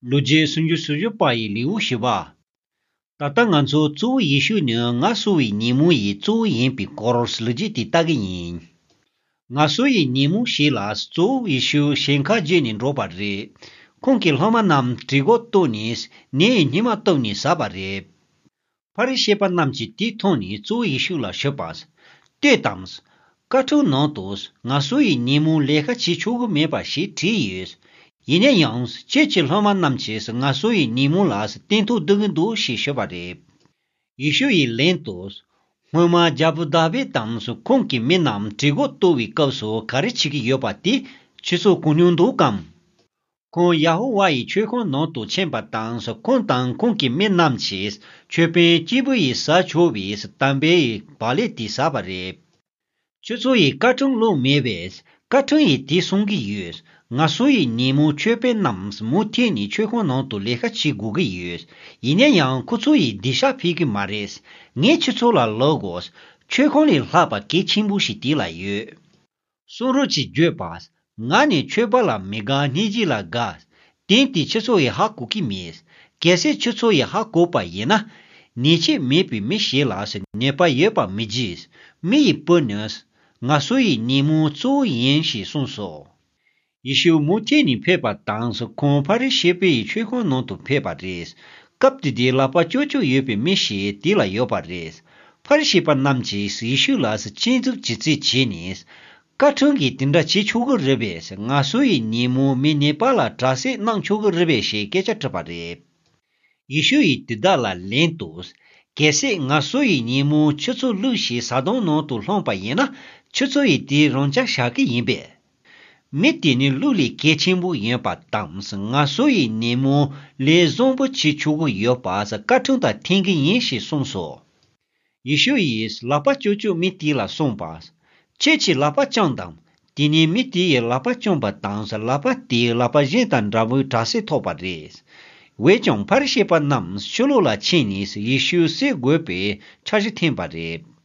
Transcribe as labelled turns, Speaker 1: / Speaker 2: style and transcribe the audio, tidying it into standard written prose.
Speaker 1: ལོ་རྒྱུས 30 སོ་བཞི་པ་ཡི་ལེའུ་བཞི་པ། ད་ལྟ་ང་ཚོ་གཙོ་བོ་ཡེ་ཤུ་ནི་ང་གསོ་བའི་ཉིན་མོ་ཡི་གཙོ་བོ་ཡིན་པའི་སྐོར་ལོ་རྒྱུས་དེ་ལྟ་གི་ཡིན། ང་གསོ་ཡི་ཉིན་མོ་ཞིག་ལ་གཙོ་བོ་ཡེ་ཤུ་ཞིང་ཁ་བརྒྱུད་ནས་འགྲོ་བ་རེད། ཁོང་གི་སློབ་མ་རྣམས་གྲི་གོག་བཏོན་ནས་ནས་ཡི་སྙེ་མ་བཏུབ་ནས་ཟ་བ་རེད། ཕ་རི་ཤེ་པ་རྣམས་ཀྱིས་དེ་མཐོང་ནས་གཙོ་བོ་ཡེ་ཤུ་ལ་ཞུས་པ། ལྟོས་དང། བཀའ་ཁྲིམས་ནང་དུ་ང་སུ་ཡི་ཉིན་མོ་ལས་ཀ་བྱེད་ཆོག་གི་མེད་པ་ཞིག་བྲིས་ཡོད། ཡིན་ན་ཡང་ཁྱེད་ཀྱི་སློབ་མ་རྣམས་ཀྱིས་ང་སུ་ཡི་ཉིན་མོ་ལ་སྟན་ཐོག་སྡོད་ཀྱི་འདུག་ཞེས་ཞུས་པ་རེད། ཡེ་ཤུ་ཡིས་ལན་དུ། སྔོན་མ་རྒྱལ་པོ་དཱ་བིད་དང་ཁོང་གི་མི་རྣམས་གྲི་གུག་གཏོར་བའི་སྐབས་སུ་ག་རེ་བྱེད་ཀྱི་ཡོད་པ་དེ་ཁྱེད་ཚོ་གོ་མྱོང་འདུག་གམ། ཁོང་ཡ་ཧོ་ཝཱ་ཡི་མཆོད་ཁང་ནང་དུ་ཕྱིན་པ་དང་ཁོང་དང་ཁོང་གི་མི་རྣམས་ཀྱིས་མཆོད་དཔོན་སྐྱེས་བུ་ཡི་ས་ཆོག་པའི་དམ་པའི་བག་ལེབ་དེ་ཟ་བ་རེད། ཁྱོད་ཚོ་ཡི་བཀའ་ཁྲིམས་བླུགས་མེད་པས་བཀའ་ཁྲིམས་ཡི་དེ་གསུང་གི་ཡོད། ང་སུ་ཡི་ཉིན་མོ་མཆོད་དཔོན་རྣམས་མུ་མཐུད་ནས་མཆོད་ཁང་ནང་དུ་ལས་ཀ་བྱེད་དགོས་ཀྱི་ཡོད། ཡིན་ན་ཡང་ཁོ་ཚོ་ཡི་སྡིག་བཤགས་ཕེབས་ཀྱི་མ་རེད། ངས་ཁྱོད་ཚོ་ལ་ལབ་དགོས། མཆོད་ཁང་ལས་ལྷག་པ་གལ་ཆེན་པོ་ཞིག་དེ་ལ་ཡོད། གསུང་རོགས་ཀྱིས་བརྗོད་པ། ང་ནི་ཆོས་པ་ལ་མི་དགའ་སྙིང་རྗེ་ལ་དགའ། དེང་དེ་ཁྱེད་ཚོ་ཡི་ཧ་གོ་གི་མེད། གལ་སྲིད་ཁྱེད་ཚོ་ཡི་ཧ་གོ་པ་ཡིན་ན། ཉེས་ཆད་མེད་པའི་མི་ཞིག་ལ་ཉེས་པ་ཡོད་པ་མི་བགྱིད། མི་ཡི་བུ་ནི། ང་སུ་ཡི་ཉིན་མོའི་གཙོ་བོ་ཡིན་ཞེས་གསུངས་སོ། ཡེ་ཤུ་མུ་ཐེ་ནས་ཕེབས་པ་དང་ཁོང་ཕ་རི་ཤི་པའི་མཆོད་ཁང་ནང་དུ་ཕེབས་པ་རེད། སྐབས་དེ་དུས་ལག་པ་ཅོག་ཅོག་ཡོད་པའི་མི་ཞིག་དེ་ལ་ཡོད་པ་རེད། ཕ་རི་ཤི་པ་རྣམས་ཀྱིས་ཡེ་ཤུ་ལ་སྤྱན་འཛུགས་བྱེད་རྩིས་བྱས་ནས། བཀའ་ཁྲིམས་ཀྱིས་དེ་འདྲ་བྱེད་ཆོག་གི་རེད་པས་ང་སུ་ཡི་ཉིན་མོ་མི་ནད་པ་ལ་དྲག་སྲེག་གནང་ཆོག་གི་རེད་པས་ཞེས་སྐད་ཆ་དྲིས་པ་རེད། ཡེ་ཤུ་ཡིས་དེ་དག་ལ་ལན་དུ། གལ་སྲིད་ང་སུ་ཡི་ཉིན་མོ་ཁྱོད་ཚོ་བསླུས་ཤིང་ཟ་དོང་ནང་དུ་ལྷུང་པ་ཡིན་ན་ཁྱོད་ཚོ་ཡིས་དེ་རང་ཅག་བཞག་གི་ཡིན་པས། མི་དེ་ནི་ཀླུ་ལས་གལ་ཆེན་པོ་ཡིན་པ་དང་ང་སུ་ཡི་ཉིན་མོ་ལས་བཟང་པོ་བྱེད་ཆོག་གི་ཡོད་པ་བཀའ་ཁྲིམས་དང་མཐུན་གྱི་ཡིན་ཞེས་གསུངས་སོ། ཡེ་ཤུ་ཡིས་ལག་པ་ཅོག་ཅོག་མི་དེ་ལ་གསུངས་པ། ཁྱེད་ཀྱིས་ལག་པ་བརྐྱངས་དང། དེ་ནས་མི་དེ་ཡིས་ལག་པ་བརྐྱངས་པ་དང་ལག་པ་དེས་ལག་པ་གཞན་དང་འདྲ་བོའི་དྲག་སེལ་ཐོབ་པ་རེད། འོན་ཀྱང་ཕ་རི་ཤི་པ་རྣམས་ཕྱི་ལོགས་ལ་ཕྱིན་ནས་ཡེ་ཤུ་བསད་དགོས་པའི་འཆར་གཞི་འཐེན་པ་རེད།